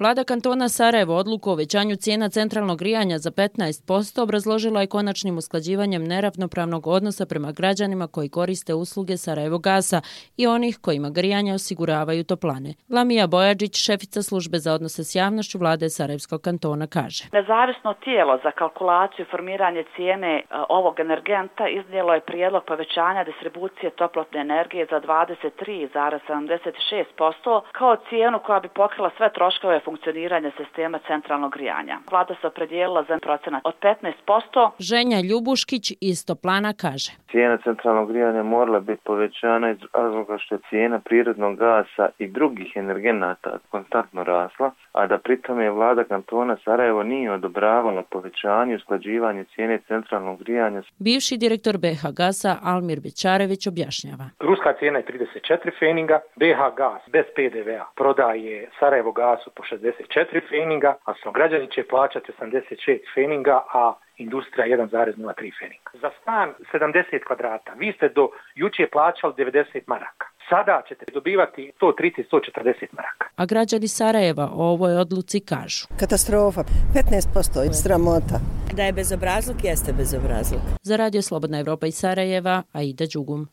Vlada kantona Sarajevo odluku o uvećanju cijena centralnog grijanja za 15% obrazložila je konačnim usklađivanjem neravnopravnog odnosa prema građanima koji koriste usluge Sarajevogasa i onih kojima grijanje osiguravaju toplane. Lamija Bojadžić, šefica službe za odnose s javnošću vlade Sarajevskog kantona, kaže: Nezavisno tijelo za kalkulaciju i formiranje cijene ovog energenta iznijelo je prijedlog povećanja distribucije toplotne energije za 23,76% kao cijenu koja bi pokrila sve troškove funkcioniranja sistema centralnog grijanja. Vlada se opredijelila za procenat od 15%. Ženja Ljubuškić iz Toplana kaže: Cijena centralnog grijanja morala biti povećana iz razloga što je cijena prirodnog gasa i drugih energenata konstantno rasla, a da pritom je vlada kantona Sarajevo nije odobravala povećanje i usklađivanje cijene centralnog grijanja. Bivši direktor BH Gasa Almir Bećarević objašnjava: Ruska cijena je 34 feninga, BH Gas bez PDV-a prodaje Sarajevo Gasu po 64 feninga, a građani će plaćati 86 feninga, a industrija 1,03 feninga. Za stan 70 kvadrata vi ste do jučer plaćali 90 maraka. Sada ćete dobivati 130-140 maraka. A građani Sarajeva o ovoj odluci kažu: Katastrofa, 15% sramota. Da je bezobrazluk, jeste bezobrazluk. Za Radio Slobodna Evropa iz Sarajeva, Aida Đugum.